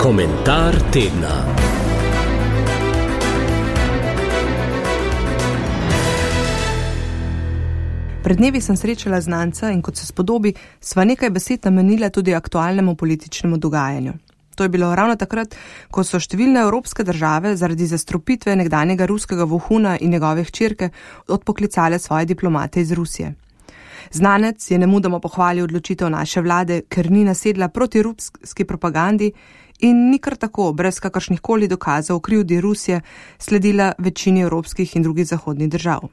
Komentar tedna. Pred dnevi sem srečala znanca in kot se spodobi, sva nekaj besed namenila tudi aktualnemu političnemu dogajanju. To je bilo ravno takrat, ko so številne evropske države zaradi zastrupitve nekdanjega ruskega vohuna in njegove hčerke odpoklicale svoje diplomate iz Rusije. Znanec je nemudoma pohvalil odločitev naše vlade, ker ni nasedla proti ruski propagandi in ni kar tako, brez kakršnihkoli dokazov o krivdi Rusije, sledila večini evropskih in drugih zahodnih držav.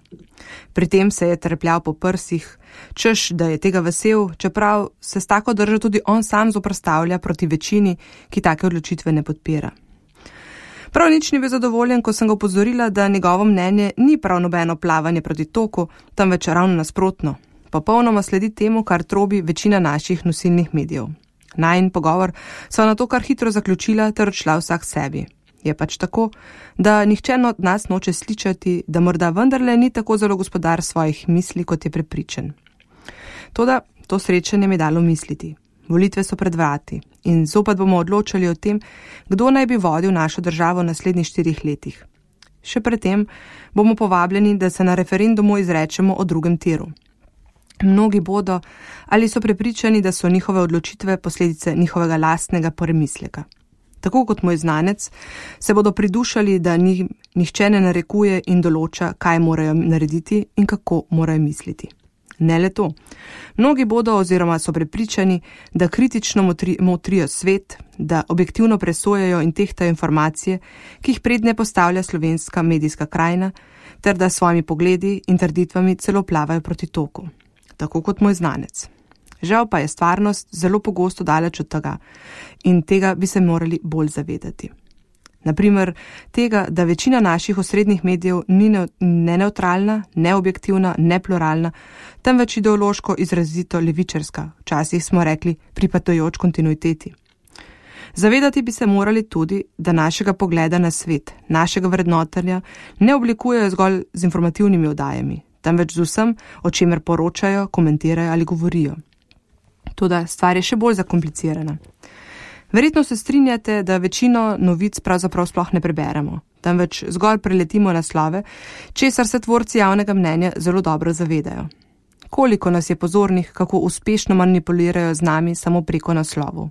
Pri tem se je trepljal po prsih, češ, da je tega vesel, čeprav se s tako držo tudi on sam zoperstavlja proti večini, ki take odločitve ne podpira. Prav nič ni bil zadovoljen, ko sem ga opozorila, da njegovo mnenje ni prav nobeno plavanje proti toku, temveč ravno nasprotno. Popolnoma sledi temu, kar trobi večina naših nosilnih medijev. Najin pogovor sva na to kar hitro zaključila ter odšla vsak sebi. Je pač tako, da nihče od nas noče slišati, da morda vendarle ni tako zelo gospodar svojih misli, kot je prepričan. Toda to srečanje mi dalo misliti. Volitve so pred vrati in zopet bomo odločali o tem, kdo naj bi vodil našo državo v naslednjih 4 letih. Še predtem bomo povabljeni, da se na referendumu izrečemo o drugem tiru. Mnogi bodo ali so prepričani, da so njihove odločitve posledice njihovega lastnega premisleka. Tako kot moj znanec, se bodo pridušali, da nihče ne narekuje in določa, kaj morajo narediti in kako morajo misliti. Ne le to. Mnogi bodo oziroma so prepričani, da kritično motrijo svet, da objektivno presojajo in tehtajo informacije, ki jih prednje postavlja slovenska medijska krajina, ter da s svojimi pogledi in trditvami celo plavajo proti toku. Tako kot moj znanec. Žal pa je stvarnost zelo pogosto daleč od tega in tega bi se morali bolj zavedati. Naprimer, tega, da večina naših osrednjih medijev ni ne neutralna, ne objektivna, ne pluralna, temveč ideološko izrazito levičarska, včasih smo rekli pripadajoč kontinuiteti. Zavedati bi se morali tudi, da našega pogleda na svet, našega vrednotenja ne oblikujejo zgolj z informativnimi oddajami, temveč z vsem, o čemer poročajo, komentirajo ali govorijo. Toda stvar je še bolj zakomplicirana. Verjetno se strinjate, da večino novic pravzaprav sploh ne preberemo, temveč zgolj preletimo naslove, česar se tvorci javnega mnenja zelo dobro zavedajo. Koliko nas je pozornih, kako uspešno manipulirajo z nami samo preko naslovov.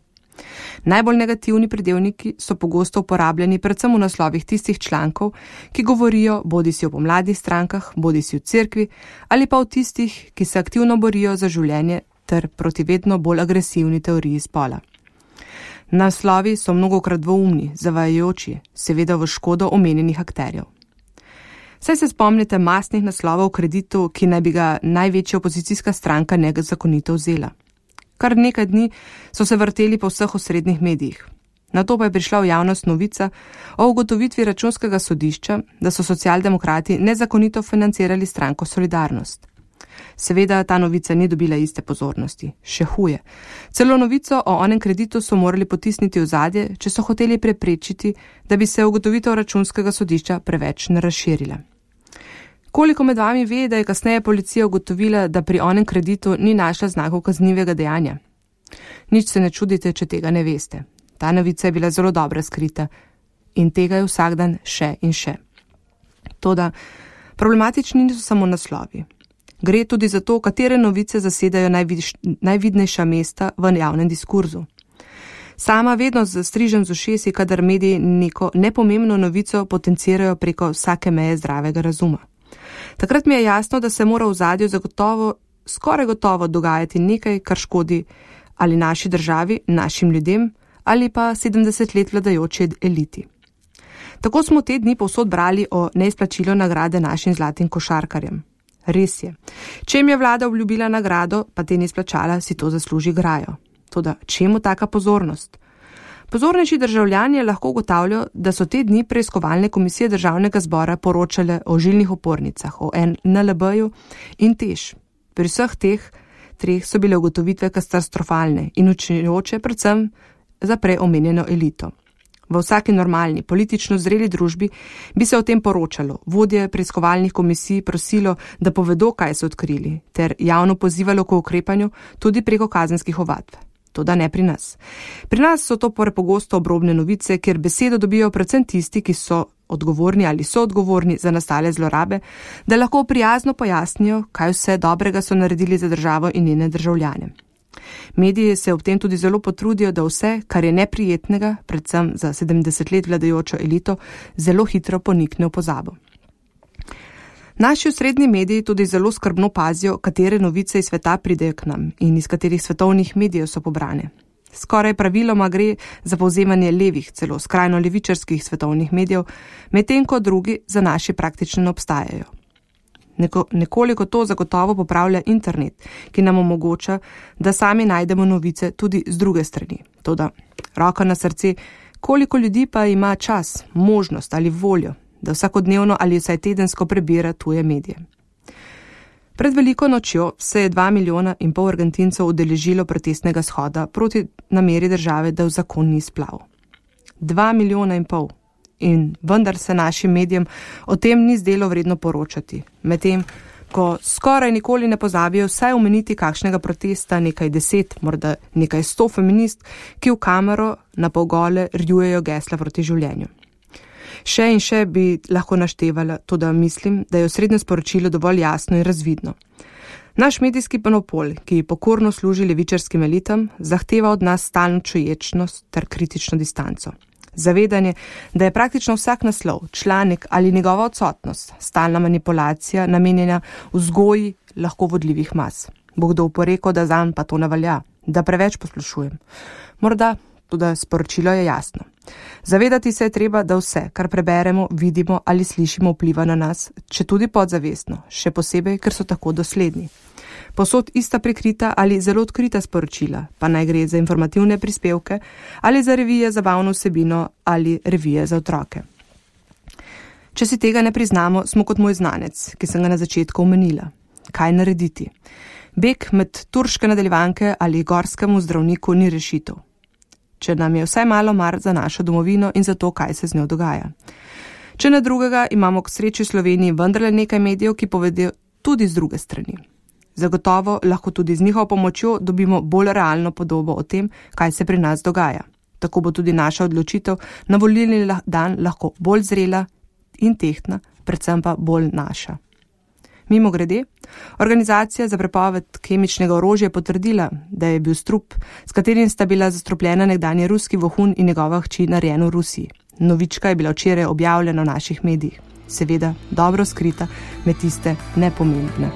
Najbolj negativni pridevniki so pogosto uporabljeni predvsem v naslovih tistih člankov, ki govorijo bodisi o pomladnih strankah, bodisi o cerkvi ali pa o tistih, ki se aktivno borijo za življenje ter proti vedno bolj agresivni teoriji spola. Naslovi so mnogokrat dvoumni, zavajajoči, seveda v škodo omenjenih akterjev. Saj se spomnite mastnih naslovov o kreditu, ki naj bi ga največja opozicijska stranka nezakonito vzela. Kar nekaj dni so se vrteli po vseh osrednjih medijih. Nato pa je prišla v javnost novica o ugotovitvi Računskega sodišča, da so socialdemokrati nezakonito financirali stranko Solidarnost. Seveda ta novica ni dobila iste pozornosti, še huje. Celo novico o onem kreditu so morali potisniti v zadje, če so hoteli preprečiti, da bi se ugotovitev Računskega sodišča preveč ne razširila. Koliko med vami ve, da je kasneje policija ugotovila, da pri onem kreditu ni našla znakov kaznivega dejanja? Nič se ne čudite, če tega ne veste. Ta novica je bila zelo dobro skrita in tega je vsak dan še in še. Toda problematični niso samo naslovi. Gre tudi za to, katere novice zasedajo najvidnejša mesta v javnem diskurzu. Sama vedno zastrižem z ušesi, kadar mediji neko nepomembno novico potencirajo preko vsake meje zdravega razuma. Takrat mi je jasno, da se mora v ozadju skoraj gotovo dogajati nekaj, kar škodi ali naši državi, našim ljudem ali pa 70 let vladajoči eliti. Tako smo te dni povsod brali o neizplačilu nagrade našim zlatim košarkarjem. Res je. Če jim je vlada obljubila nagrado, pa te ni izplačala, si to zasluži grajo. Toda čemu taka pozornost? Pozornejši državljani lahko ugotavljajo, da so te dni preiskovalne komisije Državnega zbora poročale o žilnih opornicah, o NLB-ju in TEŠ. Pri vseh teh 3 so bile ugotovitve katastrofalne in učujoče predvsem za prej omenjeno elito. V vsaki normalni, politično zreli družbi bi se o tem poročalo, vodje preiskovalnih komisij prosilo, da povedo, kaj so odkrili, ter javno pozivalo k ukrepanju tudi preko kazenskih ovadb. toda ne pri nas. Pri nas so to prepogosto obrobne novice, kjer besedo dobijo predvsem tisti, ki so odgovorni ali so odgovorni za nastale zlorabe, da lahko prijazno pojasnijo, kaj vse dobrega so naredili za državo in njene državljane. Mediji se ob tem tudi zelo potrudijo, da vse, kar je neprijetnega, predvsem za 70 let vladajočo elito, zelo hitro ponikne v pozabo. Naši osrednji mediji tudi zelo skrbno pazijo, katere novice iz sveta pridejo k nam in iz katerih svetovnih medijev so pobrane. Skoraj praviloma gre za povzemanje levih, celo skrajno levičarskih svetovnih medijev, medtem ko drugi za naši praktično ne obstajajo. Nekoliko to zagotovo popravlja internet, ki nam omogoča, da sami najdemo novice tudi z druge strani. Toda, roka na srce, koliko ljudi pa ima čas, možnost ali voljo, da vsakodnevno ali vsaj tedensko prebira tuje medije. Pred veliko nočjo se je 2,5 milijona Argentincev udeležilo protestnega shoda proti nameri države, da uzakoni splav. 2,5 milijona. In vendar se našim medijem o tem ni zdelo vredno poročati. Medtem, ko skoraj nikoli ne pozabijo vsaj omeniti kakšnega protesta nekaj 10, morda nekaj 100 feminist, ki v kamero na polgole rjujejo gesla proti življenju. Še in še bi lahko naštevala, toda mislim, da je osrednje sporočilo dovolj jasno in razvidno. Naš medijski monopol, ki pokorno služi levičarskim elitam, zahteva od nas stalno čuječnost ter kritično distanco. Zavedanje, da je praktično vsak naslov, članek ali njegova odsotnost stalna manipulacija namenjena vzgoji lahko vodljivih mas. Bo kdo oporekal, da zanj pa to ne velja, da preveč poslušujem. Morda, tudi sporočilo je jasno. Zavedati se je treba, da vse, kar preberemo, vidimo ali slišimo, vpliva na nas, če tudi podzavestno, še posebej, ker so tako dosledni. Posod ista prikrita ali zelo odkrita sporočila, pa naj gre za informativne prispevke ali za revije za zabavno vsebino ali revije za otroke. Če si tega ne priznamo, smo kot moj znanec, ki sem ga na začetku omenila. Kaj narediti? Beg med turške nadaljevanke ali gorskemu zdravniku ni rešitev. Če nam je vsaj malo mar za našo domovino in za to, kaj se z njo dogaja. Če ne drugega, imamo k sreči v Sloveniji vendarle nekaj medijev, ki povedo tudi z druge strani. Zagotovo lahko tudi z njihovo pomočjo dobimo bolj realno podobo o tem, kaj se pri nas dogaja. Tako bo tudi naša odločitev na volilni dan lahko bolj zrela in tehtna, predvsem pa bolj naša. Mimogrede, organizacija za prepoved kemičnega orožja je potrdila, da je bil strup, s katerim sta bila zastrupljena nekdanji ruski vohun in njegova hči narejen v Rusiji. Novička je bila včeraj objavljena v naših medijih. Seveda dobro skrita med tiste nepomembne.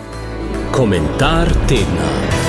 Komentar tedna.